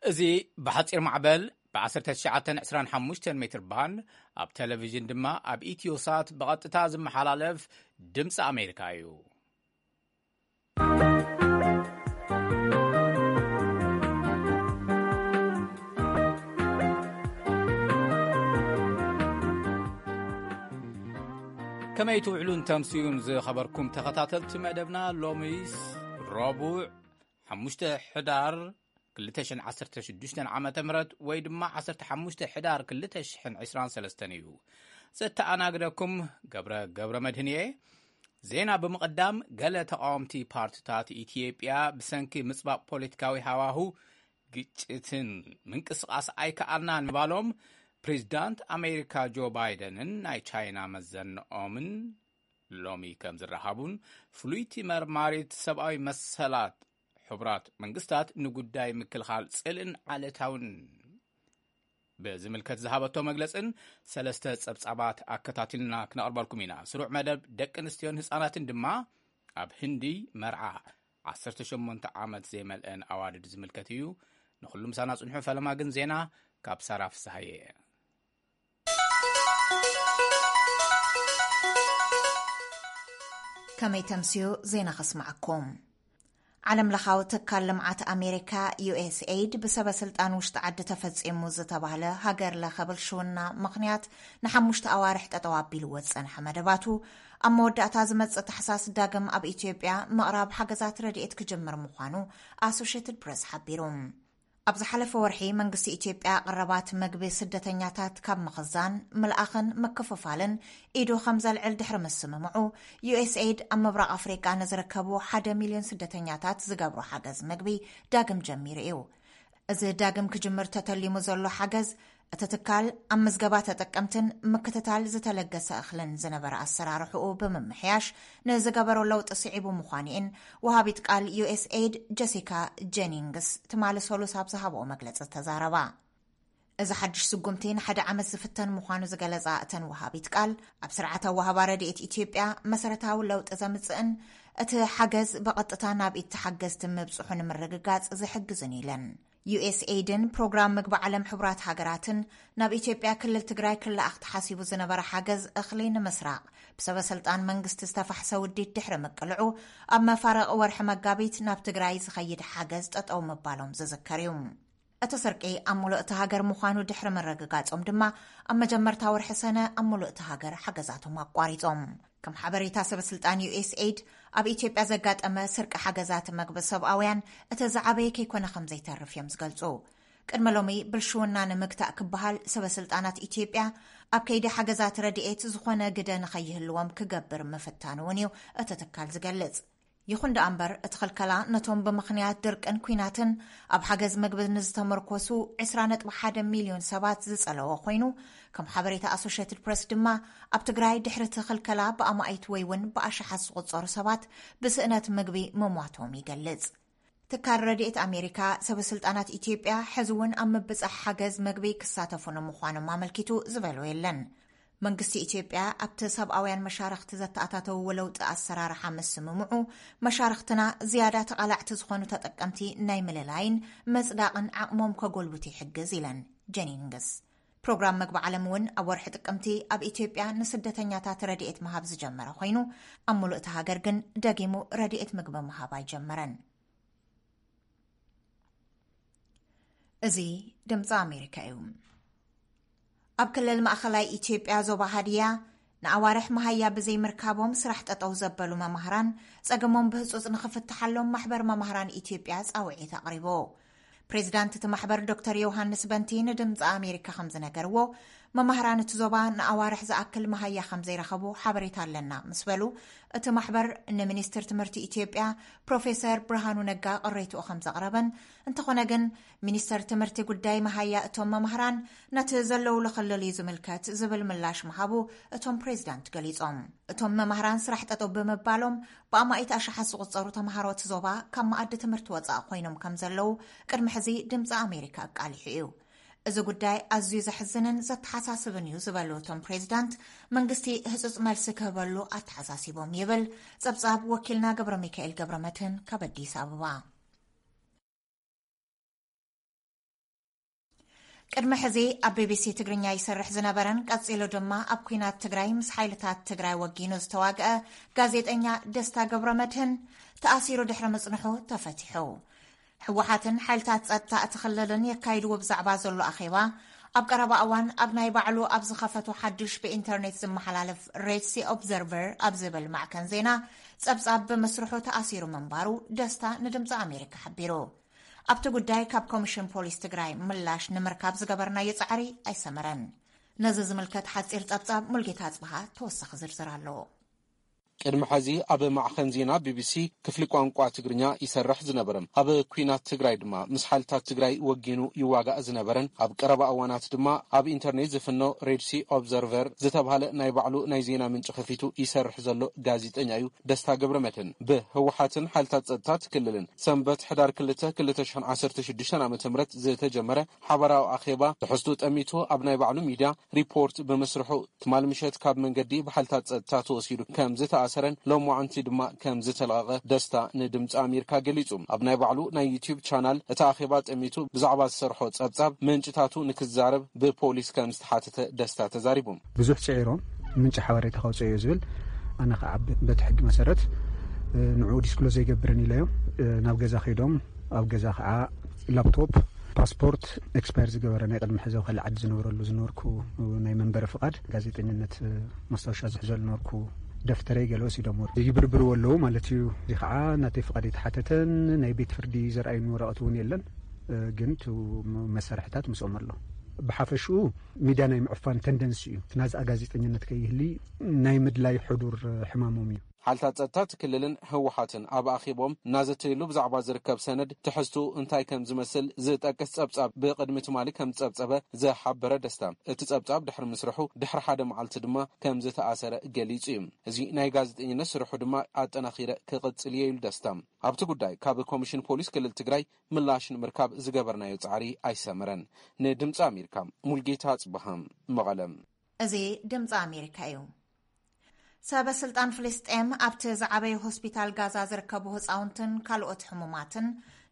እዚ ብሓጺር ማዕበል ብ1925 ሜትር ባንድ፣ ኣብ ቴሌቪዥን ድማ ኣብ ኢትዮሳት ብቐጥታ ዝመሓላለፍ ድምፂ ኣሜሪካ እዩ። ከመይ ትውዕሉን ተምስዩን ዝኸበርኩም ተኸታተልቲ መደብና፣ ሎሚስ ረቡዕ ሓሙሽተ ሕዳር ክልተ ሽሕን ዓሰርተ ሽዱሽተን ዓመተ ምህረት ወይ ድማ ዓሰርተ ሓሙሽተ ሕዳር ክልተ ሽሕን ዕስራን ሰለስተን እዩ። ዘተኣናግደኩም ገብረ፣ ገብረ መድህን እየ። ዜና ብምቕዳም፣ ገለ ተቓወምቲ ፓርቲታት ኢትዮጵያ ብሰንኪ ምጽባብ ፖለቲካዊ ሃዋሁ ግጭትን ምንቅስቓስ ኣይከኣልናን ምባሎም ፕሬዚዳንት ኣሜሪካ ጆ ባይደንን ናይ ቻይና መዘንኦምን ሎሚ ከም ዝረሃቡን ፍሉይቲ መርማሪት ሰብኣዊ መሰላት ሕቡራት መንግስታት ንጉዳይ ምክልኻል ጽልእን ዓለታውን ብዝምልከት ዝሃበቶ መግለጽን ሰለስተ ጸብጻባት ኣከታቲልና ክነቕርበልኩም ኢና። ስሩዕ መደብ ደቂ ኣንስትዮን ህጻናትን ድማ ኣብ ህንዲ መርዓ ዓሰርተ ሸሞንተ ዓመት ዘይመልአን ኣዋልድ ዝምልከት እዩ። ንኹሉ ምሳና ጽንሑ። ፈለማ ግን ዜና ካብ ሳራ ፍስሃየ። ከመይ ተምስዩ ዜና ከስማዓኩም። ዓለም ለኻዊ ትካል ልምዓት ኣሜሪካ፣ ዩ ኤስ ኤይድ፣ ብሰበ ስልጣን ውሽጢ ዓዲ ተፈጺሙ ዝተባህለ ሃገር ለኸ ብልሽውና ምኽንያት ንሓሙሽተ ኣዋርሕ ጠጠው ኣቢልዎ ዝጸንሐ መደባቱ፣ ኣብ መወዳእታ ዝመጽእ ታሕሳስ ዳግም ኣብ ኢትዮጵያ ምቕራብ ሓገዛት ረድኤት ክጅምር ምዃኑ ኣሶሼትድ ፕረስ ሓቢሩ። ኣብ ዝሓለፈ ወርሒ መንግስቲ ኢትዮጵያ ቀረባት መግቢ ስደተኛታት ካብ ምኽዛን፣ ምልኣኽን ምክፍፋልን ኢዱ ከም ዘልዕል ድሕሪ ምስምምዑ፣ ዩ ኤስ ኤይድ ኣብ ምብራቕ ኣፍሪቃ ንዝርከቡ ሓደ ሚልዮን ስደተኛታት ዝገብሮ ሓገዝ መግቢ ዳግም ጀሚሩ እዩ። እዚ ዳግም ክጅምር ተተሊሙ ዘሎ ሓገዝ፣ እቲ ትካል ኣብ ምዝገባ ተጠቀምትን ምክትታል ዝተለገሰ እኽልን ዝነበረ ኣሰራርሕኡ ብምምሕያሽ ንዝገበሮ ለውጢ ስዒቡ ምዃኑ'የን ወሃቢት ቃል ዩ ኤስ ኤይድ ጀሲካ ጀኒንግስ ትማሊ ሰሉስ ኣብ ዝሃብኦ መግለጺ ተዛረባ። እዚ ሓድሽ ስጉምቲ ንሓደ ዓመት ዝፍተን ምዃኑ ዝገለጻ እተን ወሃቢት ቃል፣ ኣብ ስርዓት ኣወሃባ ረድኤት ኢትዮጵያ መሰረታዊ ለውጢ ዘምጽእን እቲ ሓገዝ ብቐጥታ ናብ ኢድ ተሓገዝቲ ምብጽሑ ንምርግጋጽ ዝሕግዝን ኢለን። ዩ ኤስ ኤይድን ፕሮግራም ምግቢ ዓለም ሕቡራት ሃገራትን ናብ ኢትዮጵያ ክልል ትግራይ ክለኣኽ ተሓሲቡ ዝነበረ ሓገዝ እኽሊ ንምስራቕ ብሰበ ስልጣን መንግስቲ ዝተፋሕሰ ውዲት ድሕሪ ምቅልዑ፣ ኣብ መፋርቕ ወርሒ መጋቢት ናብ ትግራይ ዝኸይድ ሓገዝ ጠጠው ምባሎም ዝዝከር እዩ። እቲ ስርቂ ኣብ ሙሉእ እታ ሃገር ምዃኑ ድሕሪ ምርግጋጾም ድማ፣ ኣብ መጀመርታ ወርሒ ሰነ ኣብ ሙሉእ እታ ሃገር ሓገዛቶም ኣቋሪጾም። ከም ሓበሬታ ሰበ ስልጣን ዩ ኤስ ኤይድ፣ ኣብ ኢትዮጵያ ዘጋጠመ ስርቂ ሓገዛት መግቢ ሰብኣውያን እቲ ዝዓበየ ከይኮነ ከም ዘይተርፍ እዮም ዝገልጹ። ቅድሚ ሎሚ ብልሽውና ንምግታእ ክበሃል ሰበ ስልጣናት ኢትዮጵያ ኣብ ከይዲ ሓገዛት ረድኤት ዝኾነ ግደ ንኸይህልዎም ክገብር ምፍታኑ እውን እዩ እቲ ትካል ዝገልጽ። ይኹን ደኣ እምበር፣ እቲ ክልከላ ነቶም ብምኽንያት ድርቅን ኲናትን ኣብ ሓገዝ መግቢ ንዝተመርኮሱ ዕስራ ነጥቢ ሓደ ሚልዮን ሰባት ዝጸለወ ኮይኑ፣ ከም ሓበሬታ ኣሶሼትድ ፕረስ ድማ፣ ኣብ ትግራይ ድሕሪ እቲ ክልከላ ብኣማኢት ወይ እውን ብኣሽሓት ዝቑጸሩ ሰባት ብስእነት ምግቢ ምሟቶም ይገልጽ። ትካል ረድኤት ኣሜሪካ፣ ሰበ ስልጣናት ኢትዮጵያ ሕዚ እውን ኣብ ምብጻሕ ሓገዝ መግቢ ክሳተፉ ንምዃኖም ኣመልኪቱ ዝበሎ የለን። መንግስቲ ኢትዮጵያ ኣብቲ ሰብኣውያን መሻርኽቲ ዘተኣታተውዎ ለውጢ ኣሰራርሓ ምስምምዑ፣ መሻርኽትና ዝያዳ ተቓላዕቲ ዝኾኑ ተጠቀምቲ ናይ ምልላይን መጽዳቕን ዓቕሞም ከጎልብቱ ይሕግዝ ኢለን ጀኒንግስ። ፕሮግራም መግቢ ዓለም እውን ኣብ ወርሒ ጥቅምቲ ኣብ ኢትዮጵያ ንስደተኛታት ረድኤት ምሃብ ዝጀመረ ኮይኑ፣ ኣብ ሙሉእ እታ ሃገር ግን ደጊሙ ረድኤት ምግቢ ምሃብ ኣይጀመረን። እዚ ድምፂ ኣሜሪካ እዩ። ኣብ ክልል ማእኸላይ ኢትዮጵያ ዞባ ሃዲያ ንኣዋርሕ መሃያ ብዘይምርካቦም ስራሕ ጠጠው ዘበሉ መማህራን ጸገሞም ብህጹጽ ንኽፍትሓሎም ማሕበር መማህራን ኢትዮጵያ ጻውዒት ኣቕሪቡ። ፕሬዚዳንት እቲ ማሕበር ዶክተር ዮሃንስ በንቲ ንድምፂ ኣሜሪካ ከም ዝነገርዎ፣ መማህራን እቲ ዞባ ንኣዋርሕ ዝኣክል መሃያ ከም ዘይረኸቡ ሓበሬታ ኣለና ምስ በሉ፣ እቲ ማሕበር ንሚኒስትር ትምህርቲ ኢትዮጵያ ፕሮፌሰር ብርሃኑ ነጋ ቅሬትኡ ከም ዘቕረበን፣ እንተኾነ ግን ሚኒስተር ትምህርቲ ጉዳይ መሃያ እቶም መማህራን ነቲ ዘለውሉ ክልል እዩ ዝምልከት ዝብል ምላሽ ምሃቡ እቶም ፕሬዚዳንት ገሊጾም። እቶም መማህራን ስራሕ ጠጠው ብምባሎም ብኣማኢት ኣሽሓት ዝቑጸሩ ተምሃሮ እቲ ዞባ ካብ መኣዲ ትምህርቲ ወጻኢ ኮይኖም ከም ዘለዉ ቅድሚ ሕዚ ድምፂ ኣሜሪካ ኣቃሊሑ እዩ። እዚ ጉዳይ ኣዝዩ ዘሕዝንን ዘተሓሳስብን እዩ ዝበሉ እቶም ፕሬዚዳንት፣ መንግስቲ ህጹጽ መልሲ ክህበሉ ኣተሓሳሲቦም ይብል ጸብጻብ ወኪልና ገብረ ሚካኤል ገብረ መድህን ካብ ኣዲስ ኣበባ። ቅድሚ ሕዚ ኣብ ቢቢሲ ትግርኛ ይሰርሕ ዝነበረን ቀጺሉ ድማ ኣብ ኲናት ትግራይ ምስ ሓይልታት ትግራይ ወጊኑ ዝተዋግአ ጋዜጠኛ ደስታ ገብረመድህን ተኣሲሩ ድሕሪ ምጽንሑ ተፈቲሑ። ህወሓትን ሓይልታት ጸጥታ እቲ ክልልን የካይድዎ ብዛዕባ ዘሎ ኣኼባ ኣብ ቀረባ እዋን ኣብ ናይ ባዕሉ ኣብ ዝኸፈቶ ሓድሽ ብኢንተርኔት ዝመሓላለፍ ሬድ ሲ ኦብዘርቨር ኣብ ዝብል ማዕከን ዜና ጸብጻብ ብምስርሑ ተኣሲሩ ምንባሩ ደስታ ንድምፂ ኣሜሪካ ሓቢሩ። ኣብቲ ጉዳይ ካብ ኮሚሽን ፖሊስ ትግራይ ምላሽ ንምርካብ ዝገበርናዮ ጻዕሪ ኣይሰመረን። ነዚ ዝምልከት ሓጺር ጸብጻብ ሙልጌታ ኣጽብሃ ተወሳኺ ዝርዝር ኣለዎ። ቅድሚ ሕዚ ኣብ ማዕኸን ዜና ቢቢሲ ክፍሊ ቋንቋ ትግርኛ ይሰርሕ ዝነበረ፣ ኣብ ኲናት ትግራይ ድማ ምስ ሓይልታት ትግራይ ወጊኑ ይዋጋእ ዝነበረን ኣብ ቀረባ እዋናት ድማ ኣብ ኢንተርኔት ዝፍኖ ሬድ ሲ ኦብዘርቨር ዝተባህለ ናይ ባዕሉ ናይ ዜና ምንጪ ከፊቱ ይሰርሕ ዘሎ ጋዜጠኛ እዩ ደስታ ገብረመድህን። ብህወሓትን ሓይልታት ጸጥታ ክልልን ሰንበት ሕዳር ክልተ ክልተ ሽሕን ዓሰርተ ሽዱሽተን ዓመተ ምህረት ዝተጀመረ ሓበራዊ ኣኼባ ትሕዝቱ ጠሚቱ ኣብ ናይ ባዕሉ ሚድያ ሪፖርት ብምስርሑ ትማል ምሸት ካብ መንገዲ ብሓይልታት ጸጥታ ተወሲዱ ከም ዝተኣሰረን ሎማዓንቲ ድማ ከም ዝተለቐቐ ደስታ ንድምፂ ኣሜሪካ ገሊጹ። ኣብ ናይ ባዕሉ ናይ ዩቲዩብ ቻናል እቲ ኣኼባ ጠሚቱ ብዛዕባ ዝሰርሖ ጸብጻብ ምንጭታቱ ንክዛረብ ብፖሊስ ከም ዝተሓተተ ደስታ ተዛሪቡ። ብዙሕ ጽዒሮም ምንጪ ሓበሬታ ከውፅኦ እዩ ዝብል፣ ኣነ ከዓ በቲ ሕጊ መሰረት ንዕኡ ዲስክሎዝ ዘይገብርን ኢለዮም። ናብ ገዛ ከይዶም ኣብ ገዛ ከዓ ላፕቶፕ፣ ፓስፖርት፣ ኤክስፓየር ዝገበረ ናይ ቅድሚ ሕዚ ኣብ ካልእ ዓዲ ዝነብረሉ ዝነበርኩ ናይ መንበሪ ፍቓድ፣ ጋዜጠኝነት ማስታወሻ ዝሕዘሉ ነበርኩ፣ ደፍተረይ ገለ ወሲዶም ይብርብርዎ ኣለዉ ማለት እዩ። እዚ ከዓ ናተይ ፍቓድ የተሓተተን ናይ ቤት ፍርዲ ዘርኣዩኒ ወረቐት እውን የለን። ግን እቲ መሳርሕታት ምስኦም ኣሎ። ብሓፈሽኡ ሚድያ ናይ ምዕፋን ተንደንሲ እዩ። እቲ ናዝኣ ጋዜጠኝነት ከይህሊ ናይ ምድላይ ሕዱር ሕማሞም እዩ። ሓይልታት ጸጥታ እቲ ክልልን ህወሓትን ኣብ ኣኼቦም እናዘተይሉ ብዛዕባ ዝርከብ ሰነድ ትሕዝትኡ እንታይ ከም ዝመስል ዝጠቅስ ጸብጻብ ብቕድሚ ትማሊ ከም ዝጸብጸበ ዝሓበረ ደስታ፣ እቲ ጸብጻብ ድሕሪ ምስርሑ ድሕሪ ሓደ መዓልቲ ድማ ከም ዝተኣሰረ ገሊጹ እዩ። እዚ ናይ ጋዜጠኝነት ስርሑ ድማ ኣጠናኺረ ክቕጽል እየ ኢሉ ደስታ። ኣብቲ ጉዳይ ካብ ኮሚሽን ፖሊስ ክልል ትግራይ ምላሽ ንምርካብ ዝገበርናዮ ጻዕሪ ኣይሰመረን። ንድምፂ ኣሜሪካ ሙልጌታ ኣጽብሃ መቐለ። እዚ ድምፂ ኣሜሪካ እዩ። ሰበ ስልጣን ፍልስጤም ኣብቲ ዝዓበየ ሆስፒታል ጋዛ ዝርከቡ ህፃውንትን ካልኦት ሕሙማትን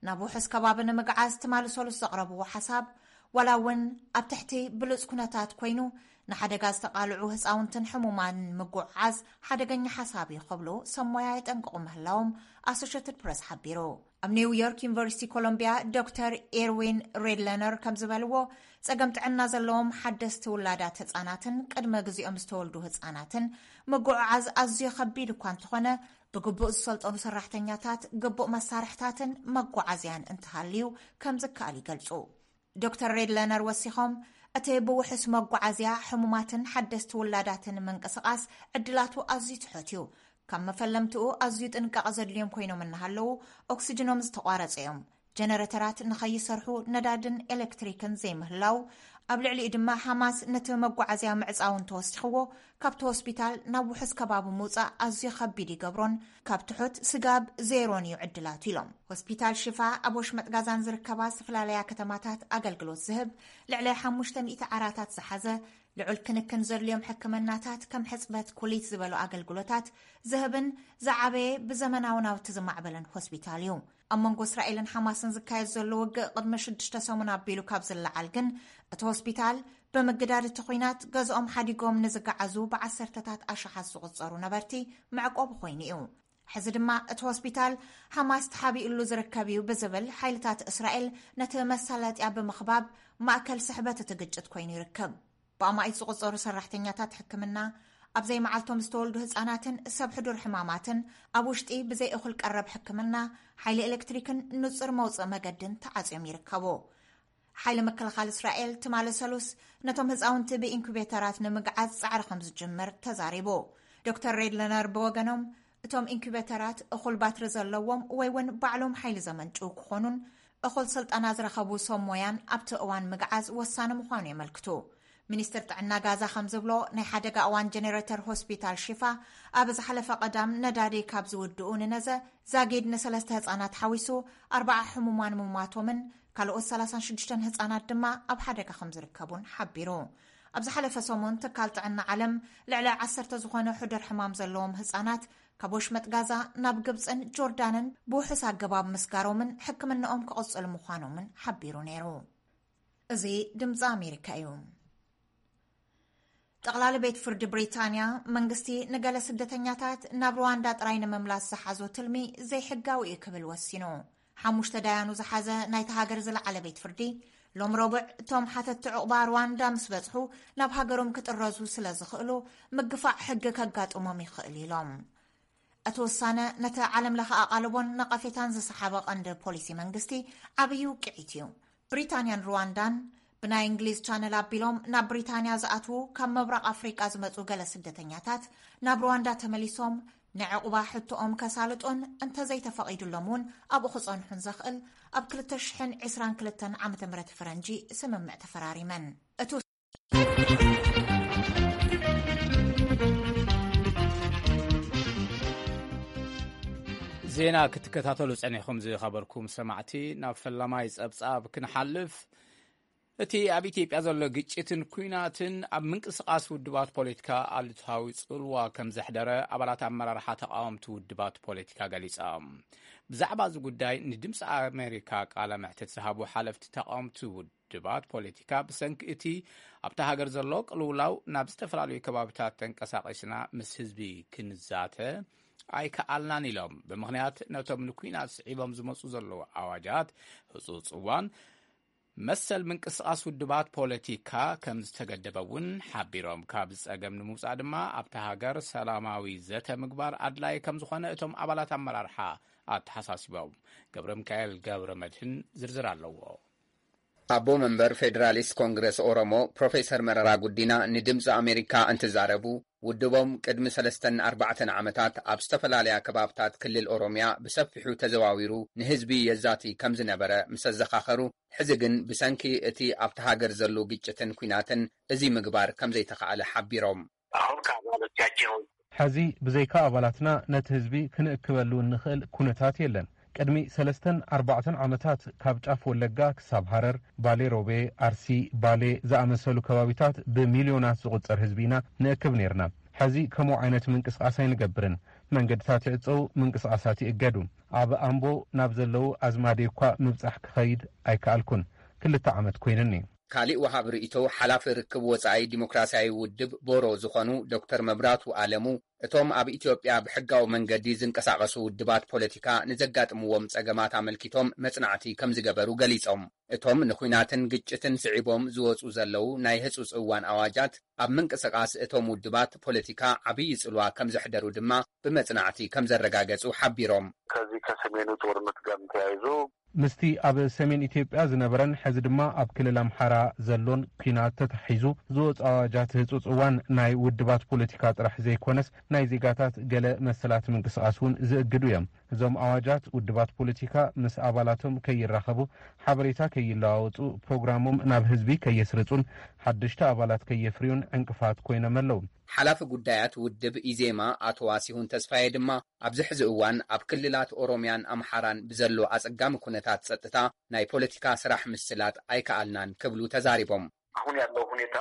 ናብ ውሑስ ከባቢ ንምግዓዝ ትማሊ ሰሉስ ዘቕረብዎ ሓሳብ፣ ዋላ እውን ኣብ ትሕቲ ብሉፅ ኩነታት ኮይኑ ንሓደጋ ዝተቓልዑ ህፃውንትን ሕሙማን ምጉዕዓዝ ሓደገኛ ሓሳብ እዩ ክብሉ ሰብ ሞያ የጠንቅቑ ምህላዎም ኣሶሼትድ ፕረስ ሓቢሩ። ኣብ ኒው ዮርክ ዩኒቨርሲቲ ኮሎምቢያ ዶክተር ኤርዊን ሬድለነር ከም ዝበልዎ፣ ጸገም ጥዕና ዘለዎም ሓደስቲ ውላዳት ህጻናትን ቅድመ ግዜኦም ዝተወልዱ ህጻናትን ምጉዕዓዝ ኣዝዩ ከቢድ እኳ እንተኾነ፣ ብግቡእ ዝሰልጠኑ ሰራሕተኛታት፣ ግቡእ መሳርሕታትን መጓዓዝያን እንተሃልዩ ከም ዝከኣል ይገልጹ። ዶክተር ሬድለነር ወሲኾም፣ እቲ ብውሑስ መጓዓዝያ ሕሙማትን ሓደስቲ ውላዳትን ምንቅስቓስ ዕድላቱ ኣዝዩ ትሑት እዩ። ካብ መፈለምትኡ ኣዝዩ ጥንቃቐ ዘድልዮም ኮይኖም እናሃለዉ፣ ኦክስጅኖም ዝተቋረጸ እዮም። ጀነረተራት ንኸይሰርሑ ነዳድን ኤሌክትሪክን ዘይምህላው፣ ኣብ ልዕሊኡ ድማ ሓማስ ነቲ መጓዓዝያ ምዕጻው እንተወሲኽዎ፣ ካብቲ ሆስፒታል ናብ ውሑስ ከባቢ ምውጻእ ኣዝዩ ከቢድ ይገብሮን ካብ ትሑት ስጋብ ዜሮን እዩ ዕድላቱ ኢሎም። ሆስፒታል ሽፋ ኣብ ወሽመጥ ጋዛን ዝርከባ ዝተፈላለያ ከተማታት ኣገልግሎት ዝህብ ልዕሊ ሓሙሽተ ሚእቲ ዓራታት ዝሓዘ ልዑል ክንክን ዘድልዮም ሕክምናታት ከም ሕጽበት ኩሊት ዝበሉ ኣገልግሎታት ዝህብን ዝዓበየ ብዘመናዊ ናውቲ ዝማዕበለን ሆስፒታል እዩ። ኣብ መንጎ እስራኤልን ሓማስን ዝካየድ ዘሎ ውግእ ቅድሚ ሽዱሽተ ሰሙን ኣቢሉ ካብ ዝለዓል ግን እቲ ሆስፒታል ብምግዳድ እቲ ኲናት ገዝኦም ሓዲጎም ንዝገዓዙ ብዓሰርተታት ኣሽሓት ዝቑጸሩ ነበርቲ መዕቆቢ ኮይኑ እዩ። ሕዚ ድማ እቲ ሆስፒታል ሓማስ ተሓቢእሉ ዝርከብ እዩ ብዝብል ሓይልታት እስራኤል ነቲ መሳለጥያ ብምኽባብ ማእከል ስሕበት እቲ ግጭት ኮይኑ ይርከብ። ብኣማኢት ዝቑጸሩ ሰራሕተኛታት ሕክምና፣ ኣብ ዘይመዓልቶም ዝተወልዱ ህጻናትን ሰብ ሕዱር ሕማማትን ኣብ ውሽጢ ብዘይ እኹል ቀረብ ሕክምና፣ ሓይሊ ኤሌክትሪክን ንጹር መውጽኢ መገድን ተዓጽዮም ይርከቡ። ሓይሊ ምክልኻል እስራኤል ትማሊ ሰሉስ ነቶም ህጻውንቲ ብኢንኩቤተራት ንምግዓዝ ጻዕሪ ከም ዝጅምር ተዛሪቡ። ዶክተር ሬድለነር ብወገኖም፣ እቶም ኢንኩቤተራት እኹል ባትሪ ዘለዎም ወይ እውን ባዕሎም ሓይሊ ዘመንጭው ክኾኑን እኹል ስልጠና ዝረኸቡ ሰብ ሞያን ኣብቲ እዋን ምግዓዝ ወሳኒ ምዃኑ የመልክቱ። ሚኒስትር ጥዕና ጋዛ ከም ዝብሎ፣ ናይ ሓደጋ እዋን ጀነሬተር ሆስፒታል ሽፋ ኣብ ዝሓለፈ ቀዳም ነዳዲ ካብ ዝውድኡ ንነዘ ዛጊድ ንሰለስተ ህጻናት ሓዊሱ ኣርባዓ ሕሙማን ምሟቶምን ካልኦት ሰላሳን ሽዱሽተን ህጻናት ድማ ኣብ ሓደጋ ከም ዝርከቡን ሓቢሩ። ኣብ ዝሓለፈ ሰሙን ትካል ጥዕና ዓለም ልዕሊ ዓሰርተ ዝኾነ ሕዱር ሕማም ዘለዎም ህጻናት ካብ ወሽመጥ ጋዛ ናብ ግብጽን ጆርዳንን ብውሑስ ኣገባብ ምስጋሮምን ሕክምናኦም ክቕጽሉ ምዃኖምን ሓቢሩ ነይሩ። እዚ ድምፂ ኣሜሪካ እዩ። ጠቕላሊ ቤት ፍርዲ ብሪጣንያ መንግስቲ ንገለ ስደተኛታት ናብ ሩዋንዳ ጥራይ ንምምላስ ዝሓዞ ትልሚ ዘይሕጋዊ እዩ ክብል ወሲኑ። ሓሙሽተ ዳያኑ ዝሓዘ ናይቲ ሃገር ዝለዓለ ቤት ፍርዲ ሎም ረቡዕ እቶም ሓተትቲ ዕቑባ ሩዋንዳ ምስ በጽሑ ናብ ሃገሮም ክጥረዙ ስለ ዝኽእሉ ምግፋዕ ሕጊ ከጋጥሞም ይኽእል ኢሎም። እቲ ውሳነ ነቲ ዓለም ለኸ ኣቓልቦን ነቐፌታን ዝሰሓበ ቀንዲ ፖሊሲ መንግስቲ ዓብዪ ውቅዒት እዩ። ብሪታንያን ሩዋንዳን ብናይ እንግሊዝ ቻነል ኣቢሎም ናብ ብሪታንያ ዝኣትዉ ካብ ምብራቕ ኣፍሪቃ ዝመጹ ገለ ስደተኛታት ናብ ሩዋንዳ ተመሊሶም ንዕቑባ ሕቶኦም ከሳልጡን እንተዘይተፈቒዱሎም እውን ኣብኡ ክጸንሑን ዘኽእል ኣብ ክልተ ሽሕን ዕስራን ክልተን ዓመተ ምህረት ፈረንጂ ስምምዕ ተፈራሪመን። እቲ ዜና ክትከታተሉ ጸኒሕኩም ዝኸበርኩም ሰማዕቲ፣ ናብ ፈላማይ ጸብጻብ ክንሓልፍ። እቲ ኣብ ኢትዮጵያ ዘሎ ግጭትን ኲናትን ኣብ ምንቅስቓስ ውድባት ፖለቲካ ኣሉታዊ ጽልዋ ከም ዘሕደረ ኣባላት ኣመራርሓ ተቓወምቲ ውድባት ፖለቲካ ገሊጾም። ብዛዕባ እዚ ጉዳይ ንድምፂ ኣሜሪካ ቃለ መሕትት ዝሃቡ ሓለፍቲ ተቓወምቲ ውድባት ፖለቲካ፣ ብሰንኪ እቲ ኣብታ ሃገር ዘሎ ቅልውላው ናብ ዝተፈላለዩ ከባቢታት ተንቀሳቒስና ምስ ህዝቢ ክንዛተ ኣይከኣልናን ኢሎም። ብምኽንያት ነቶም ንኲናት ስዒቦም ዝመፁ ዘለዉ ኣዋጃት ህፁፅ እዋን መሰል ምንቅስቓስ ውድባት ፖለቲካ ከም ዝተገደበ እውን ሓቢሮም። ካብ ጸገም ንምውጻእ ድማ ኣብታ ሃገር ሰላማዊ ዘተ ምግባር ኣድላይ ከም ዝኾነ እቶም ኣባላት ኣመራርሓ ኣተሓሳሲቦም። ገብረ ሚካኤል ገብረ መድህን ዝርዝር ኣለዎ። ኣቦ መንበር ፌዴራሊስት ኮንግረስ ኦሮሞ ፕሮፌሰር መረራ ጉዲና ንድምፂ ኣሜሪካ እንትዛረቡ፣ ውድቦም ቅድሚ ሰለስተን ኣርባዕተን ዓመታት ኣብ ዝተፈላለያ ከባብታት ክልል ኦሮምያ ብሰፊሑ ተዘዋዊሩ ንህዝቢ የዛቲ ከም ዝነበረ ምስ ኣዘኻኸሩ፣ ሕዚ ግን ብሰንኪ እቲ ኣብቲ ሃገር ዘሎ ግጭትን ኲናትን እዚ ምግባር ከም ዘይተኻእለ ሓቢሮም። አሁን ከአባሎቻቸው ሕዚ ብዘይካ ኣባላትና ነቲ ህዝቢ ክንእክበሉ እንኽእል ኩነታት የለን። ቅድሚ ሰለስተን ኣርባዕተን ዓመታት ካብ ጫፍ ወለጋ ክሳብ ሃረር፣ ባሌ ሮቤ፣ ኣርሲ፣ ባሌ ዝኣመሰሉ ከባቢታት ብሚልዮናት ዝቑጸር ህዝቢ ኢና ንእክብ ነይርና። ሕዚ ከምኡ ዓይነት ምንቅስቓስ ኣይንገብርን። መንገድታት ይዕጸዉ፣ ምንቅስቓሳት ይእገዱ። ኣብ ኣምቦ ናብ ዘለዉ ኣዝማደይ እኳ ምብጻሕ ክኸይድ ኣይከኣልኩን። ክልተ ዓመት ኮይኑኒ። ካሊእ ወሃብ ርእይቶ ሓላፊ ርክብ ወጻኢ ዲሞክራሲያዊ ውድብ ቦሮ ዝኾኑ ዶክተር መብራቱ ኣለሙ፣ እቶም ኣብ ኢትዮጵያ ብሕጋዊ መንገዲ ዝንቀሳቐሱ ውድባት ፖለቲካ ንዘጋጥምዎም ጸገማት ኣመልኪቶም መጽናዕቲ ከም ዝገበሩ ገሊጾም። እቶም ንኹናትን ግጭትን ስዒቦም ዝወጹ ዘለዉ ናይ ህጹጽ እዋን ኣዋጃት ኣብ ምንቅስቓስ እቶም ውድባት ፖለቲካ ዓብዪ ጽልዋ ከም ዘሕደሩ ድማ ብመጽናዕቲ ከም ዘረጋገጹ ሓቢሮም። ከዚ ከሰሜኑ ጦርነት ጋር ተያይዞ ምስቲ ኣብ ሰሜን ኢትዮጵያ ዝነበረን ሕዚ ድማ ኣብ ክልል ኣምሓራ ዘሎን ኲናት ተታሒዙ ዝወፁ ኣዋጃት ህፁፅ እዋን ናይ ውድባት ፖለቲካ ጥራሕ ዘይኮነስ ናይ ዜጋታት ገለ መሰላት ምንቅስቓስ እውን ዝእግዱ እዮም። እዞም ኣዋጃት ውድባት ፖለቲካ ምስ ኣባላቶም ከይራኸቡ፣ ሓበሬታ ከይለዋወጡ፣ ፕሮግራሞም ናብ ህዝቢ ከየስርፁን ሓደሽቲ ኣባላት ከየፍርዩን ዕንቅፋት ኮይኖም ኣለዉ። ሓላፊ ጉዳያት ውድብ ኢዜማ ኣቶ ዋሲሁን ተስፋየ ድማ ኣብዚ ሕዚ እዋን ኣብ ክልላት ኦሮምያን ኣምሓራን ብዘሎ ኣጸጋሚ ኩነታት ጸጥታ ናይ ፖለቲካ ስራሕ ምስላጥ ኣይከኣልናን ክብሉ ተዛሪቦም። አሁን ያለው ሁኔታ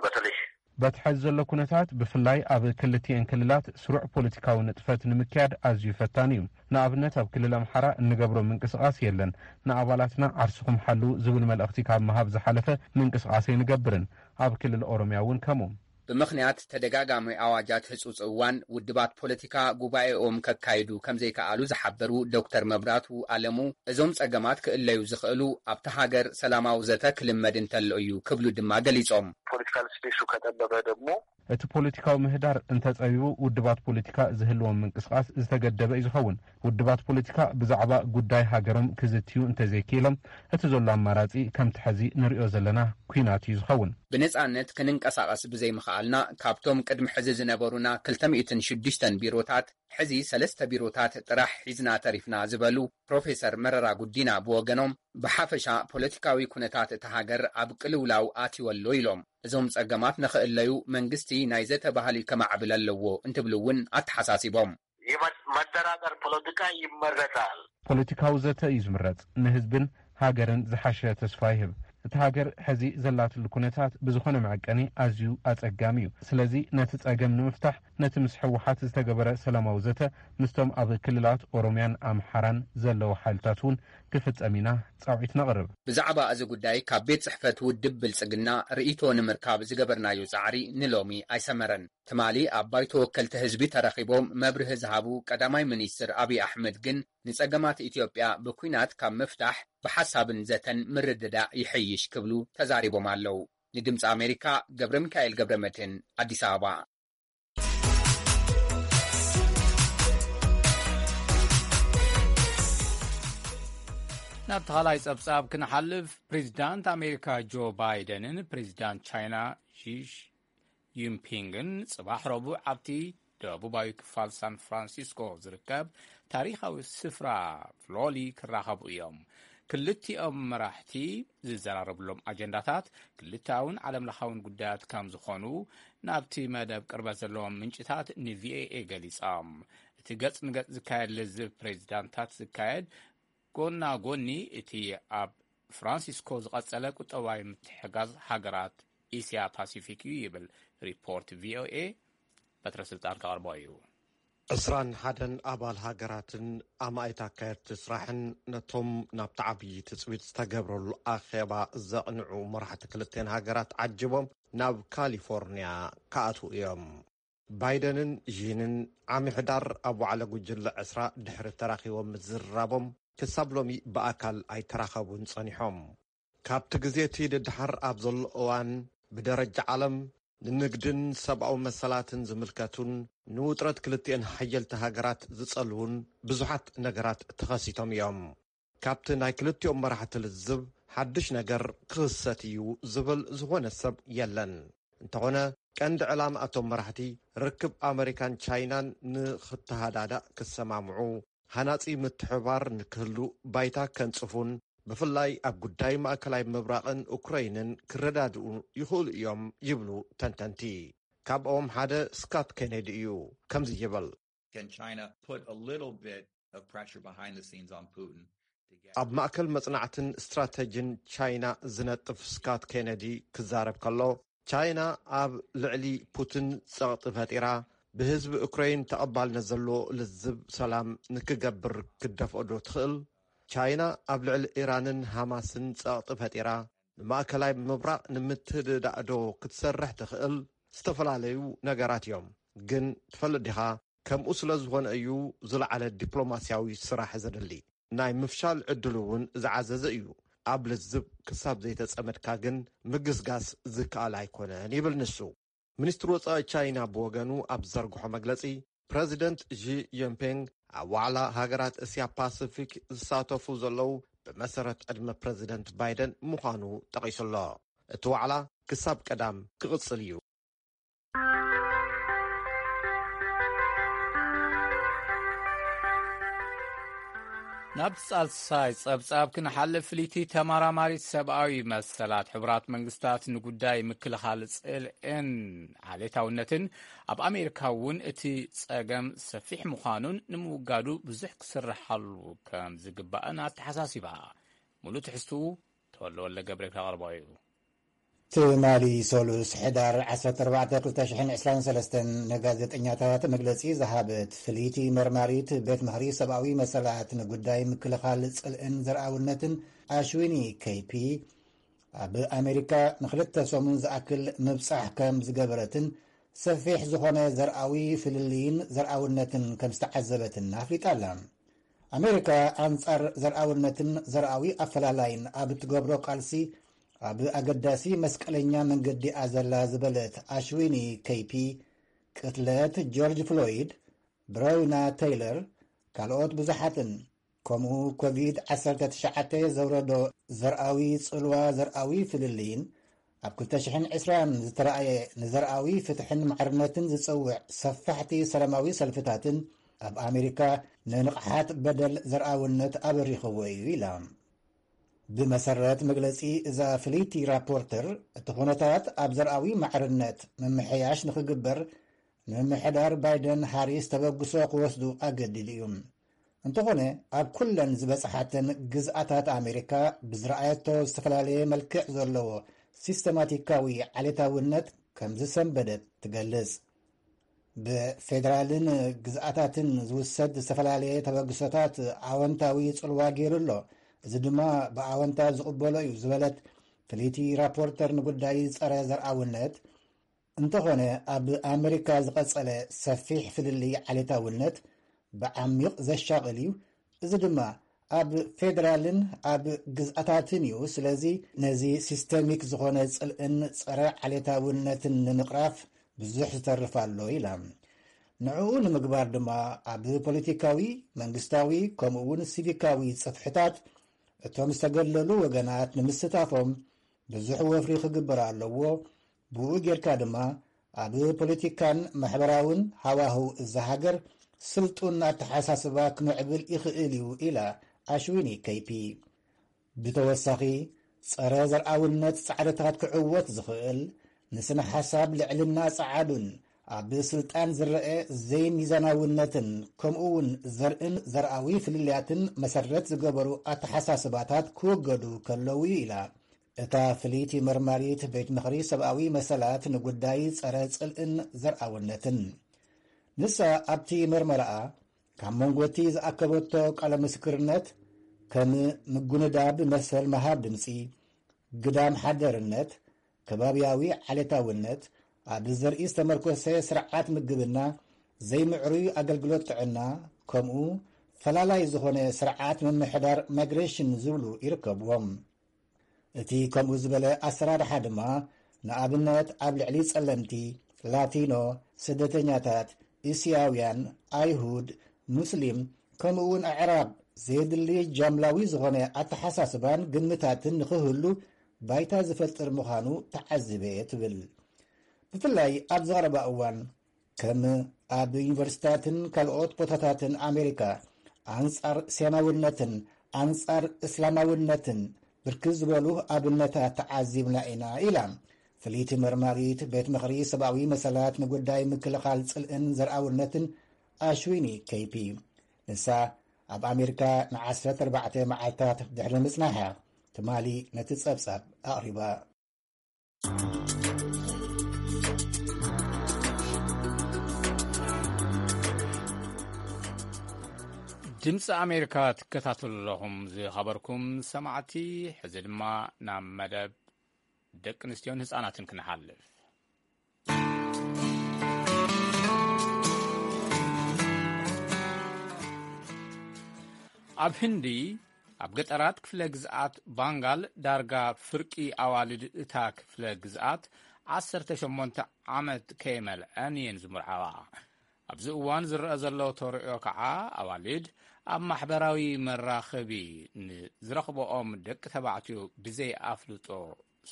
በተለይ በቲ ሕዚ ዘሎ ኩነታት ብፍላይ ኣብ ክልቲኤን ክልላት ስሩዕ ፖለቲካዊ ንጥፈት ንምክያድ ኣዝዩ ፈታኒ እዩ። ንኣብነት ኣብ ክልል ኣምሓራ እንገብሮ ምንቅስቓስ የለን። ንኣባላትና ዓርስኹም ሓልዉ ዝብል መልእኽቲ ካብ ምሃብ ዝሓለፈ ምንቅስቓስ ኣይንገብርን። ኣብ ክልል ኦሮምያ እውን ከምኡ። ብምኽንያት ተደጋጋሚ ኣዋጃት ህጹጽ እዋን፣ ውድባት ፖለቲካ ጉባኤኦም ከካይዱ ከም ዘይከኣሉ ዝሓበሩ ዶክተር መብራቱ ኣለሙ፣ እዞም ጸገማት ክእለዩ ዝኽእሉ ኣብታ ሃገር ሰላማዊ ዘተ ክልመድ እንተሎ እዩ ክብሉ ድማ ገሊጾም። ፖለቲካል ስፔሱ ከጠበበ ደግሞ እቲ ፖለቲካዊ ምህዳር እንተጸቢቡ ውድባት ፖለቲካ ዝህልዎም ምንቅስቓስ ዝተገደበ እዩ ዝኸውን። ውድባት ፖለቲካ ብዛዕባ ጉዳይ ሃገሮም ክዝትዩ እንተዘይክኢሎም እቲ ዘሎ ኣማራጺ ከምቲ ሕዚ ንሪኦ ዘለና ኲናት እዩ ዝኸውን። ብነጻነት ክንንቀሳቐስ ብዘይምኽኣልና ካብቶም ቅድሚ ሕዚ ዝነበሩና ክልተ ሚእትን ሽዱሽተን ቢሮታት ሕዚ ሰለስተ ቢሮታት ጥራሕ ሒዝና ተሪፍና ዝበሉ ፕሮፌሰር መረራ ጉዲና ብወገኖም ብሓፈሻ ፖለቲካዊ ኩነታት እታ ሃገር ኣብ ቅልውላው ኣትዩ ኣሎ ኢሎም። እዞም ጸገማት ንኽእለዩ መንግስቲ ናይ ዘተ ባህሊ ከማዕብል ኣለዎ እንትብሉ እውን ኣተሓሳሲቦም። የመደራደር ፖለቲካ ይመረጻል። ፖለቲካዊ ዘተ እዩ ዝምረጽ። ንህዝብን ሃገርን ዝሓሸ ተስፋ ይህብ። እታ ሃገር ሕዚ ዘላትሉ ኩነታት ብዝኾነ መዐቀኒ ኣዝዩ ኣጸጋሚ እዩ። ስለዚ ነቲ ጸገም ንምፍታሕ ነቲ ምስ ህወሓት ዝተገበረ ሰላማዊ ዘተ ምስቶም ኣብ ክልላት ኦሮምያን ኣምሓራን ዘለዉ ሓይልታት እውን ክፍጸም ኢና ጻውዒት ነቕርብ። ብዛዕባ እዚ ጉዳይ ካብ ቤት ጽሕፈት ውድብ ብልጽግና ርእይቶ ንምርካብ ዝገበርናዮ ጻዕሪ ንሎሚ ኣይሰመረን። ትማሊ ኣብ ባይቶ ወከልቲ ህዝቢ ተረኺቦም መብርሂ ዝሃቡ ቀዳማይ ሚኒስትር ኣብይ ኣሕመድ ግን፣ ንጸገማት ኢትዮጵያ ብኲናት ካብ ምፍታሕ ብሓሳብን ዘተን ምርድዳእ ይሕይሽ ክብሉ ተዛሪቦም ኣለዉ። ንድምፂ ኣሜሪካ ገብረ ሚካኤል ገብረ መድህን፣ ኣዲስ ኣበባ። ናብ ተኻላይ ጸብጻብ ክንሓልፍ፣ ፕሬዚዳንት ኣሜሪካ ጆ ባይደንን ፕሬዚዳንት ቻይና ሺ ጂንፒንግን ጽባሕ ረቡዕ ኣብቲ ደቡባዊ ክፋል ሳን ፍራንሲስኮ ዝርከብ ታሪኻዊ ስፍራ ፍሎሊ ክራኸቡ እዮም። ክልቲኦም መራሕቲ ዝዘራረብሎም ኣጀንዳታት ክልተኣውን ዓለምለኻውን ጉዳያት ከም ዝኾኑ ናብቲ መደብ ቅርበት ዘለዎም ምንጭታት ንቪኦኤ ገሊጾም። እቲ ገጽ ንገጽ ዝካየድ ልዝብ ፕሬዚዳንታት ዝካየድ ጎና ጎኒ እቲ ኣብ ፍራንሲስኮ ዝቐጸለ ቁጠባዊ ምትሕጋዝ ሃገራት እስያ ፓሲፊክ እዩ ይብል ሪፖርት ቪኦኤ። በትረ ስልጣን ከቕርቦ እዩ። ዕስራን ሓደን ኣባል ሃገራትን ኣማኢት ኣካየድቲ ስራሕን ነቶም ናብቲ ዓብዪ ትጽቢት ዝተገብረሉ ኣኼባ ዘቕንዑ መራሕቲ ክልቴን ሃገራት ዓጅቦም ናብ ካሊፎርንያ ክኣትዉ እዮም። ባይደንን ዢንን ዓሚ ሕዳር ኣብ ዋዕለ ጉጅለ ዕስራ ድሕሪ ተራኺቦም ምዝርራቦም ክሳብ ሎሚ ብኣካል ኣይተራኸቡን ጸኒሖም። ካብቲ ግዜ እቲ ደድሓር ኣብ ዘሎ እዋን ብደረጃ ዓለም ንንግድን ሰብኣዊ መሰላትን ዝምልከቱን ንውጥረት ክልቲኤን ሓየልቲ ሃገራት ዝጸልዉን ብዙሓት ነገራት ተኸሲቶም እዮም። ካብቲ ናይ ክልቲኦም መራሕቲ ልዝብ ሓድሽ ነገር ክኽሰት እዩ ዝብል ዝኾነ ሰብ የለን። እንተኾነ ቀንዲ ዕላማ እቶም መራሕቲ ርክብ ኣመሪካን ቻይናን ንኽተሃዳዳእ ክሰማምዑ፣ ሃናጺ ምትሕብባር ንክህሉ ባይታ ከንጽፉን ብፍላይ ኣብ ጉዳይ ማእከላይ ምብራቕን ኡክረይንን ክረዳድኡ ይኽእሉ እዮም ይብሉ ተንተንቲ። ካብኦም ሓደ ስካት ኬኔዲ እዩ። ከምዚ ይብል። Can China put a little bit of pressure behind the scenes on Putin to get ኣብ ማእከል መጽናዕትን ስትራተጂን ቻይና ዝነጥፍ ስካት ኬነዲ ክዛረብ ከሎ፣ ቻይና ኣብ ልዕሊ ፑቲን ጸቕጢ ፈጢራ ብህዝቢ ኡክረይን ተቐባልነት ዘለዎ ልዝብ ሰላም ንክገብር ክትደፍኦ ዶ ትኽእል? ቻይና ኣብ ልዕሊ ኢራንን ሃማስን ጸቕጢ ፈጢራ ንማእከላይ ምብራቕ ንምትድዳእ ዶ ክትሰርሕ ትኽእል? ዝተፈላለዩ ነገራት እዮም። ግን ትፈልጥ ዲኻ? ከምኡ ስለ ዝኾነ እዩ ዝለዓለ ዲፕሎማስያዊ ስራሕ ዘድሊ። ናይ ምፍሻል ዕድሉ እውን ዝዓዘዘ እዩ። ኣብ ልዝብ ክሳብ ዘይተጸመድካ ግን ምግስጋስ ዝከኣል ኣይኮነን ይብል ንሱ። ሚኒስትሪ ወጻኢ ቻይና ብወገኑ ኣብ ዝዘርግሖ መግለጺ፣ ፕረዚደንት ዢ ጂንፒንግ ኣብ ዋዕላ ሃገራት እስያ ፓሲፊክ ዝሳተፉ ዘለዉ ብመሰረት ዕድመ ፕረዚደንት ባይደን ምዃኑ ጠቒሱ ኣሎ። እቲ ዋዕላ ክሳብ ቀዳም ክቕጽል እዩ። ናብ ሳልሳይ ጸብጻብ ክንሓልፍ፣ ፍልይቲ ተመራማሪት ሰብኣዊ መሰላት ሕቡራት መንግስታት ንጉዳይ ምክልኻል ጽልእን ዓሌታውነትን ኣብ ኣሜሪካ እውን እቲ ጸገም ሰፊሕ ምዃኑን ንምውጋዱ ብዙሕ ክስርሓሉ ከም ዝግባእን ኣተሓሳሲባ። ሙሉእ ትሕዝትኡ ተወልደ ወልደ ገብረ ከቕርቦ እዩ። ትማሊ ሰሉስ ሕዳር ዓሰርተ ኣርባዕተ ክልተ ሽሕን ዕስራን ሰለስተን ንጋዜጠኛታት መግለጺ ዝሃበት ፍልይቲ መርማሪት ቤት ምኽሪ ሰብኣዊ መሰላት ንጉዳይ ምክልኻል ጽልእን ዘርኣውነትን ኣሽዊኒ ኬይፒ፣ ኣብ ኣሜሪካ ንኽልተ ሰሙን ዝኣክል ምብጻሕ ከም ዝገበረትን ሰፊሕ ዝኾነ ዘርኣዊ ፍልልይን ዘርኣውነትን ከም ዝተዓዘበትን ኣፍሊጣ ኣላ። ኣሜሪካ ኣንጻር ዘርኣውነትን ዘርኣዊ ኣፈላላይን ኣብ እትገብሮ ቃልሲ ኣብ ኣገዳሲ መስቀለኛ መንገዲ እያ ዘላ ዝበለት ኣሽዊኒ ኬይፒ፣ ቅትለት ጆርጅ ፍሎይድ፣ ብሮይና ቴይለር፣ ካልኦት ብዙሓትን፣ ከምኡ ኮቪድ ዓሰርተ ትሽዓተ ዘውረዶ ዘርኣዊ ጽልዋ ዘርኣዊ ፍልልይን ኣብ ክልተ ሽሕን ዕስራን ዝተራእየ ንዘርኣዊ ፍትሕን ማዕርነትን ዝጸውዕ ሰፋሕቲ ሰላማዊ ሰልፍታትን ኣብ ኣሜሪካ ንንቕሓት በደል ዘርኣውነት ኣበሪኽዎ እዩ ኢላ። ብመሰረት መግለጺ እዛ ፍልይቲ ራፖርተር፣ እቲ ኩነታት ኣብ ዘርኣዊ ማዕርነት ምምሕያሽ ንኽግበር ንምምሕዳር ባይደን ሃሪስ ተበግሶ ክወስዱ ኣገዲዱ እዩ። እንተኾነ፣ ኣብ ኩለን ዝበጽሓተን ግዝኣታት ኣሜሪካ ብዝረኣየቶ ዝተፈላለየ መልክዕ ዘለዎ ሲስተማቲካዊ ዓሌታውነት ከም ዝሰንበደት ትገልጽ። ብፌደራልን ግዝኣታትን ዝውሰድ ዝተፈላለየ ተበግሶታት ኣወንታዊ ጽልዋ ገይሩ ኣሎ። እዚ ድማ ብኣወንታ ዝቕበሎ እዩ ዝበለት ፍልይቲ ራፖርተር ንጉዳይ ጸረ ዘርኣውነት፣ እንተኾነ ኣብ ኣመሪካ ዝቐጸለ ሰፊሕ ፍልልይ ዓሌታውነት ብዓሚቕ ዘሻቕል እዩ። እዚ ድማ ኣብ ፌደራልን ኣብ ግዝኣታትን እዩ። ስለዚ ነዚ ሲስተሚክ ዝኾነ ጽልእን ጸረ ዓሌታውነትን ንምቕራፍ ብዙሕ ዝተርፍ ኣሎ ኢላ። ንዕኡ ንምግባር ድማ ኣብ ፖለቲካዊ፣ መንግስታዊ፣ ከምኡ እውን ሲቪካዊ ጽፍሕታት እቶም ዝተገለሉ ወገናት ንምስታፎም ብዙሕ ወፍሪ ክግበር ኣለዎ። ብኡ ጌርካ ድማ ኣብ ፖለቲካን ማሕበራውን ሃዋህው እዛ ሃገር ስልጡን ኣተሓሳስባ ክምዕብል ይኽእል እዩ ኢላ ኣሽዊኒ ከይፒ። ብተወሳኺ፣ ጸረ ዘርኣውነት ጻዕርታት ክዕወት ዝኽእል፣ ንስነ ሓሳብ ልዕልና ጸዓዱን ኣብ ስልጣን ዝረአ ዘይሚዛናውነትን፣ ከምኡ እውን ዘርእን ዘርኣዊ ፍልልያትን መሰረት ዝገበሩ ኣተሓሳስባታት ክውገዱ ከለዉ እዩ ኢላ እታ ፍልይቲ መርማሪት ቤት ምኽሪ ሰብኣዊ መሰላት ንጉዳይ ጸረ ጽልእን ዘርኣውነትን። ንሳ ኣብቲ መርመራኣ ካብ መንጎ እቲ ዝኣከበቶ ቃለ ምስክርነት፣ ከም ምጉንዳብ መሰል ምሃብ ድምጺ፣ ግዳም ሓደርነት፣ ከባብያዊ ዓሌታውነት፣ ኣብ ዘርኢ ዝተመርኮሰ ስርዓት ምግብና፣ ዘይምዕሩይ ኣገልግሎት ጥዕና፣ ከምኡ ፈላላይ ዝኾነ ስርዓት ምምሕዳር ማይግሬሽን ዝብሉ ይርከብዎም። እቲ ከምኡ ዝበለ ኣሰራርሓ ድማ፣ ንኣብነት ኣብ ልዕሊ ጸለምቲ፣ ላቲኖ፣ ስደተኛታት፣ እስያውያን፣ ኣይሁድ፣ ሙስሊም፣ ከምኡ እውን ኣዕራብ ዘየድሊ ጃምላዊ ዝኾነ ኣተሓሳስባን ግምታትን ንኽህሉ ባይታ ዝፈጥር ምዃኑ ተዓዚበ እየ ትብል። ብፍላይ ኣብ ዝቐረባ እዋን ከም ኣብ ዩኒቨርሲታትን ካልኦት ቦታታትን ኣሜሪካ ኣንጻር ሴማውነትን ኣንጻር እስላማውነትን ብርክት ዝበሉ ኣብነታት ተዓዚብና ኢና ኢላ ፍልይቲ መርማሪት ቤት ምኽሪ ሰብኣዊ መሰላት ንጉዳይ ምክልኻል ጽልእን ዘርኣውነትን ኣሽዊኒ ከይፒ። ንሳ ኣብ ኣሜሪካ ን14 መዓልታት ድሕሪ ምጽናሓ ትማሊ ነቲ ጸብጻብ ኣቕሪባ። ድምፂ ኣሜሪካ ትከታተሉ ኣለኹም። ዝኸበርኩም ሰማዕቲ፣ ሕዚ ድማ ናብ መደብ ደቂ ኣንስትዮን ህፃናትን ክንሓልፍ። ኣብ ህንዲ፣ ኣብ ገጠራት ክፍለ ግዝኣት ባንጋል፣ ዳርጋ ፍርቂ ኣዋልድ እታ ክፍለ ግዝኣት ዓሰርተ ሸሞንተ ዓመት ከይመልዐን እየን ዝምርዓዋ። ኣብዚ እዋን ዝረኣ ዘሎ ተርእዮ ከዓ፣ ኣዋልድ ኣብ ማሕበራዊ መራኸቢ ንዝረኽበኦም ደቂ ተባዕትዮ ብዘይ ኣፍልጦ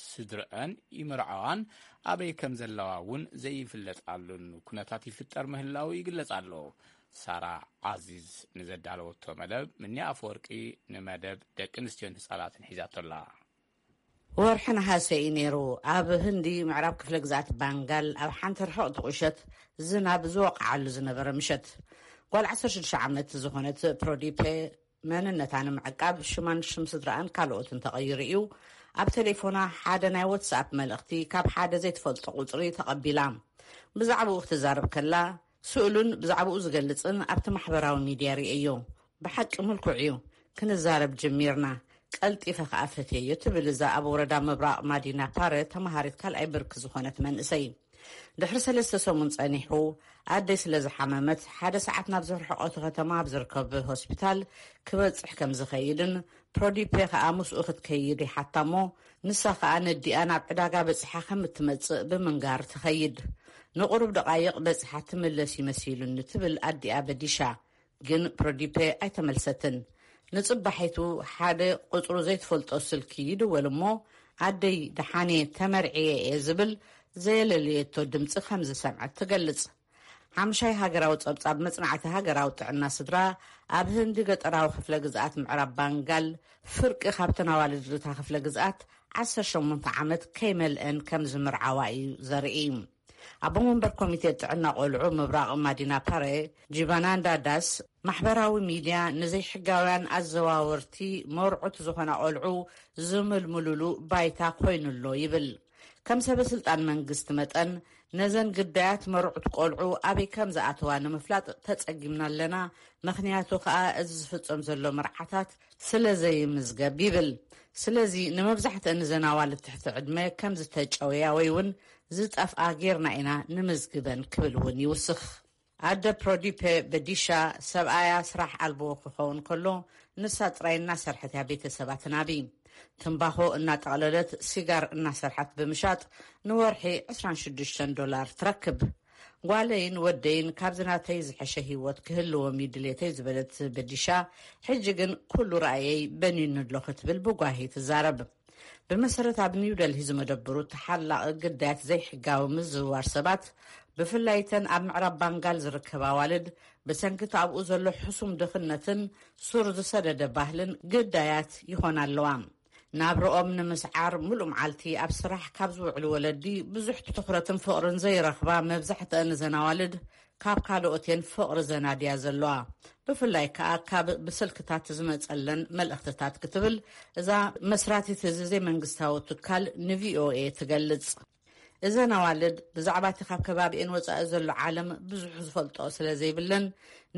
ስድረአን ይምርዓዋን፣ ኣበይ ከም ዘለዋ እውን ዘይፍለጣሉን ኩነታት ይፍጠር ምህላዉ ይግለጽ ኣሎ። ሳራ ዓዚዝ ንዘዳለወቶ መደብ፣ ምኒ ኣፈወርቂ ንመደብ ደቂ ኣንስትዮን ህጻናትን ሒዛቶ ኣላ። ወርሒ ነሓሰ እዩ ነይሩ። ኣብ ህንዲ ምዕራብ ክፍለ ግዝኣት ባንጋል፣ ኣብ ሓንቲ ርሕቕቲ ቁሸት፣ ዝናብ ዝወቕዓሉ ዝነበረ ምሸት፣ ጓል ዓሰርተ ሽዱሽተ ዓመት ዝኾነት ፕሮዲፔ መንነታ ንምዕቃብ ሽማን ሽም ስድራኣን ካልኦትን ተቐይሩ እዩ። ኣብ ቴሌፎና ሓደ ናይ ዋትስኣፕ መልእኽቲ ካብ ሓደ ዘይትፈልጦ ቁጽሪ ተቐቢላ። ብዛዕባኡ ክትዛረብ ከላ፣ ስእሉን ብዛዕባኡ ዝገልጽን ኣብቲ ማሕበራዊ ሚድያ ርእየዮ። ብሓቂ ምልኩዕ እዩ። ክንዛረብ ጀሚርና። ቀልጢፈ ከኣ ፈትየዮ፣ ትብል እዛ ኣብ ወረዳ ምብራቕ ማዲና ፓረ ተመሃሪት ካልኣይ ብርኪ ዝኾነት መንእሰይ። ድሕሪ ሰለስተ ሰሙን ጸኒሑ፣ ኣደይ ስለ ዝሓመመት፣ ሓደ ሰዓት ናብ ዝርሕቐቱ ከተማ ኣብ ዝርከብ ሆስፒታል ክበጽሕ ከም ዝኸይድን፣ ፕሮዲፔ ከኣ ምስኡ ክትከይድ ይሓታ እሞ፣ ንሳ ከኣ ነዲኣ ናብ ዕዳጋ በጺሓ ከም እትመጽእ ብምንጋር ትኸይድ። ንቑሩብ ደቓይቕ በጺሓ ትምለስ ይመሲሉኒ፣ ትብል ኣዲኣ በዲሻ። ግን ፕሮዲፔ ኣይተመልሰትን። ንጽባሒቱ ሓደ ቁጽሩ ዘይትፈልጦ ስልኪ ይድወል እሞ፣ ኣደይ ደሓን እየ፣ ተመርዕየ እየ ዝብል ዘየለለየቶ ድምጺ ከም ዝሰምዐት ትገልጽ። ሓምሻይ ሃገራዊ ጸብጻብ መጽናዕቲ ሃገራዊ ጥዕና ስድራ፣ ኣብ ህንዲ ገጠራዊ ክፍለ ግዝኣት ምዕራብ ባንጋል ፍርቂ ካብተን ኣዋልድ እታ ክፍለ ግዝኣት ዓሰርተ ሸሞንተ ዓመት ከይመልአን ከም ዝምርዓዋ እዩ ዘርኢ። ኣቦ መንበር ኮሚቴ ጥዕና ቆልዑ ምብራቕ ማዲና ፓረ፣ ጂባናንዳ ዳስ፣ ማሕበራዊ ሚድያ ንዘይሕጋውያን ኣዘዋወርቲ መርዑት ዝኾና ቆልዑ ዝምልምሉሉ ባይታ ኮይኑሎ ይብል። ከም ሰበ ስልጣን መንግስቲ መጠን፣ ነዘን ግዳያት መርዑት ቆልዑ ኣበይ ከም ዝኣተዋ ንምፍላጥ ተጸጊምና ኣለና። ምኽንያቱ ከኣ፣ እዚ ዝፍጸም ዘሎ መርዓታት ስለ ዘይምዝገብ ይብል። ስለዚ፣ ንመብዛሕትአን እዘን ኣዋልድ ትሕቲ ዕድመ ከም ዝተጨወያ ወይ እውን ዝጠፍኣ ጌርና ኢና ንምዝግበን ክብል እውን ይውስኽ። ኣደ ፕሮዲፔ በዲሻ፣ ሰብኣያ ስራሕ ኣልቦ ክኸውን ከሎ፣ ንሳ ጥራይ እናሰርሐት እያ ቤተሰባ ትናቢ። ትምባኾ እናጠቕለለት፣ ሲጋር እናሰርሐት ብምሻጥ፣ ንወርሒ ዕስራን ሽዱሽተን ዶላር ትረክብ። ጓለይን ወደይን ካብዚ ናተይ ዝሐሸ ህይወት ክህልዎም እዩ ድሌተይ ዝበለት በዲሻ፣ ሕጂ ግን ኩሉ ራእየይ በኒኑ ኣሎ ክትብል ብጓሂ ትዛረብ። ብመሰረት ኣብ ኒው ደልሂ ዝመደብሩ ተሓላቒ ግዳያት ዘይሕጋዊ ምዝውዋር ሰባት፣ ብፍላይ እተን ኣብ ምዕራብ ባንጋል ዝርከባ ኣዋልድ፣ ብሰንኪ እቲ ኣብኡ ዘሎ ሕሱም ድኽነትን ሱር ዝሰደደ ባህልን ግዳያት ይኾና ኣለዋ። ናብርኦም ንምስዓር፣ ምሉእ መዓልቲ ኣብ ስራሕ ካብ ዝውዕሉ ወለዲ ብዙሕ ትኹረትን ፍቕርን ዘይረኽባ መብዛሕትአን እዘን ኣዋልድ፣ ካብ ካልኦት እየን ፍቕሪ ዘናድያ ዘለዋ። ብፍላይ ከኣ ካብ ብስልክታት ዝመጸለን መልእኽትታት ክትብል እዛ መስራቲት እዚ ዘይመንግስታዊ ትካል ንቪኦኤ ትገልጽ። እዘን ኣዋልድ ብዛዕባ እቲ ካብ ከባቢኤን ወጻኢ ዘሎ ዓለም ብዙሕ ዝፈልጦ ስለ ዘይብለን፣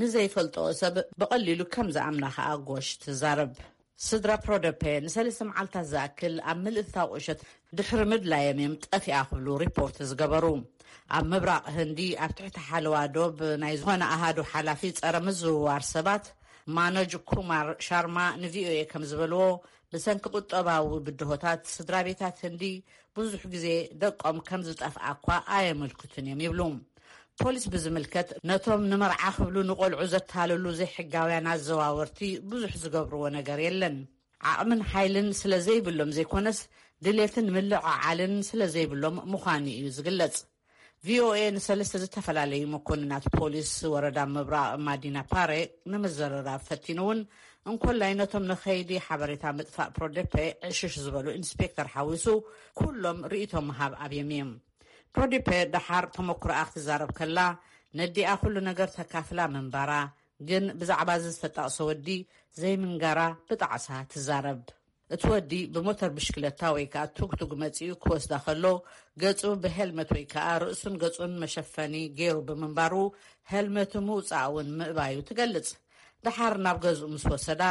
ንዘይፈልጦ ሰብ ብቐሊሉ ከም ዝኣምና ከኣ ጎሽ ትዛረብ። ስድራ ፕሮደፔ ንሰለስተ መዓልታት ዝኣክል ኣብ ምልእታዊ ቁሸት ድሕሪ ምድላዮም እዮም ጠፊኣ ክብሉ ሪፖርት ዝገበሩ። ኣብ ምብራቕ ህንዲ ኣብ ትሕቲ ሓለዋ ዶብ ናይ ዝኾነ ኣሃዱ ሓላፊ ጸረ ምዝውዋር ሰባት ማኖጅ ኩማር ሻርማ ንቪኦኤ ከም ዝበልዎ፣ ብሰንኪ ቁጠባዊ ብድሆታት ስድራ ቤታት ህንዲ ብዙሕ ግዜ ደቆም ከም ዝጠፍኣ እኳ ኣየመልክቱን እዮም ይብሉ። ፖሊስ ብዝምልከት፣ ነቶም ንመርዓ ክብሉ ንቆልዑ ዘታለሉ ዘይሕጋውያን ኣዘዋወርቲ ብዙሕ ዝገብርዎ ነገር የለን። ዓቕምን ሓይልን ስለ ዘይብሎም ዘይኮነስ፣ ድሌትን ምልዕዓልን ስለ ዘይብሎም ምዃኑ እዩ ዝግለጽ። ቪኦኤ ንሰለስተ ዝተፈላለዩ መኮንናት ፖሊስ ወረዳ ምብራቕ ማዲና ፓሬ ንምዝርራብ ፈቲኑ እውን፣ እንኮላይ ነቶም ንኸይዲ ሓበሬታ ምጥፋእ ፕሮዴፔ ዕሽሽ ዝበሉ ኢንስፔክተር ሓዊሱ፣ ኩሎም ርእይቶ ምሃብ ኣብዮም እዮም። ፕሮዲፐ ደሓር ተመኩሮኣ ክትዛረብ ከላ፣ ነዲኣ ኩሉ ነገር ተካፍላ ምንባራ፣ ግን ብዛዕባ እዚ ዝተጠቕሰ ወዲ ዘይምንጋራ ብጣዕሳ ትዛረብ። እቲ ወዲ ብሞተር ብሽክለታ ወይ ከኣ ቱግቱግ መጺኡ ክወስዳ ከሎ፣ ገጹ ብሄልመት ወይ ከኣ ርእሱን ገጹን መሸፈኒ ገይሩ ብምንባሩ፣ ሄልመቱ ምውጻእ እውን ምእባዩ ትገልጽ። ደሓር ናብ ገዝኡ ምስ ወሰዳ፣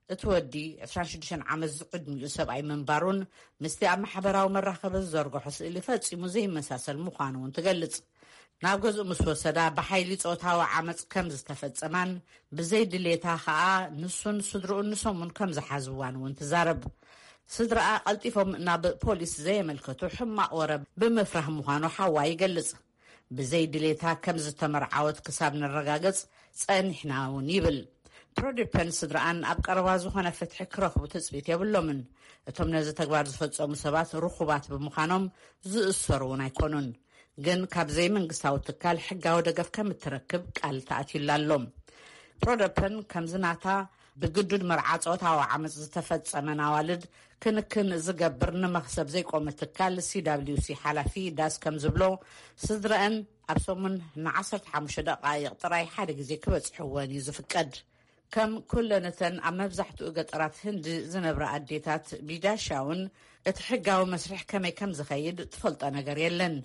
እቲ ወዲ ዕስራን ሽዱሽተን ዓመት ዝዕድሚኡ ሰብኣይ ምንባሩን ምስቲ ኣብ ማሕበራዊ መራኸቢ ዝዘርግሖ ስእሊ ፈጺሙ ዘይመሳሰል ምዃኑ እውን ትገልጽ። ናብ ገዝኡ ምስ ወሰዳ፣ ብሓይሊ ጾታዊ ዓመጽ ከም ዝተፈጸማን ብዘይ ድሌታ ከኣ ንሱን ስድርኡን ንሶም እውን ከም ዝሓዝዋን እውን ትዛረብ። ስድራኣ ቀልጢፎም ናብ ፖሊስ ዘየመልከቱ፣ ሕማቕ ወረ ብምፍራህ ምዃኑ ሓዋ ይገልጽ። ብዘይ ድሌታ ከም ዝተመርዓወት ክሳብ ነረጋገጽ ጸኒሕና እውን ይብል። ፕሮዲፐን ስድራኣን ኣብ ቀረባ ዝኾነ ፍትሒ ክረኽቡ ትጽቢት የብሎምን። እቶም ነዚ ተግባር ዝፈጸሙ ሰባት ርኹባት ብምዃኖም ዝእሰሩ እውን ኣይኮኑን። ግን ካብ ዘይመንግስታዊ ትካል ሕጋዊ ደገፍ ከም እትረክብ ቃል ተኣትዩላ ኣሎ። ፕሮደፐን ከምዚ ናታ ብግዱድ መርዓ ጾታዊ ዓመጽ ዝተፈጸመን ኣዋልድ ክንክን ዝገብር ንመኽሰብ ዘይቆመ ትካል ሲ ደብሊው ሲ ሓላፊ ዳስ ከም ዝብሎ፣ ስድረአን ኣብ ሰሙን ን ዓሰርተ ሓሙሽተ ደቓይቕ ጥራይ ሓደ ግዜ ክበጽሕወን እዩ ዝፍቀድ። ከም ኩለንተን ኣብ መብዛሕትኡ ገጠራት ህንዲ ዝነብራ ኣዴታት፣ ቢዳሻ እውን እቲ ሕጋዊ መስርሕ ከመይ ከም ዝኸይድ ትፈልጦ ነገር የለን።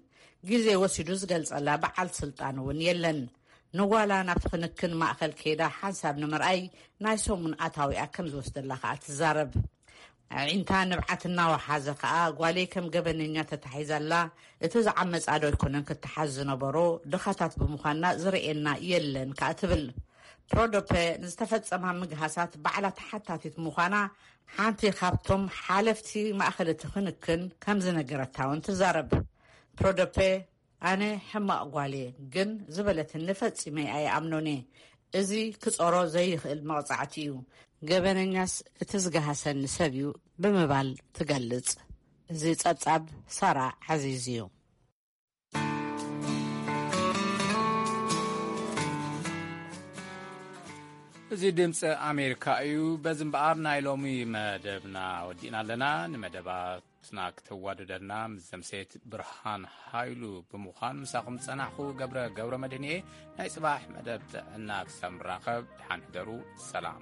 ግዜ ወሲዱ ዝገልጸላ በዓል ስልጣን እውን የለን። ንጓላ ናብቲ ክንክን ማእከል ከይዳ ሓንሳብ ንምርኣይ ናይ ሰሙን ኣታዊኣ ከም ዝወስደላ ከኣ ትዛረብ። ኣዒንታ ንብዓት እናወሓዘ ከኣ፣ ጓለይ ከም ገበነኛ ተታሒዛላ፣ እቲ ዝዓመጻ ዶ ኣይኮነን ክትሓዝ ዝነበሮ፣ ድኻታት ብምዃንና ዝርእየና የለን ከኣ ትብል። ፕሮዶፐ ንዝተፈጸማ ምግሃሳት ባዕላ ተሓታቲት ምዃና ሓንቲ ካብቶም ሓለፍቲ ማእከል እቲ ክንክን ከም ዝነገረታ እውን ትዛረብ። ፕሮዶፐ፣ ኣነ ሕማቕ ጓል እየ፣ ግን ዝበለትኒ ፈጺመ ኣይኣምኖን እየ። እዚ ክጾሮ ዘይኽእል መቕጻዕቲ እዩ። ገበነኛስ እቲ ዝገሃሰኒ ሰብ እዩ ብምባል ትገልጽ። እዚ ጸብጻብ ሳራ ዓዚዝ እዩ። እዚ ድምፂ ኣሜሪካ እዩ። በዚ እምበኣር ናይ ሎሚ መደብና ወዲእና ኣለና። ንመደባትና ክተዋደደና ምስ ዘምሴት ብርሃን ሃይሉ ብምዃን ምሳኹም ዝጸናሕኹ ገብረ፣ ገብረ መድህን እየ። ናይ ጽባሕ መደብ ጥዕና ክሳብ ንራኸብ፣ ደሓን ሕደሩ። ሰላም።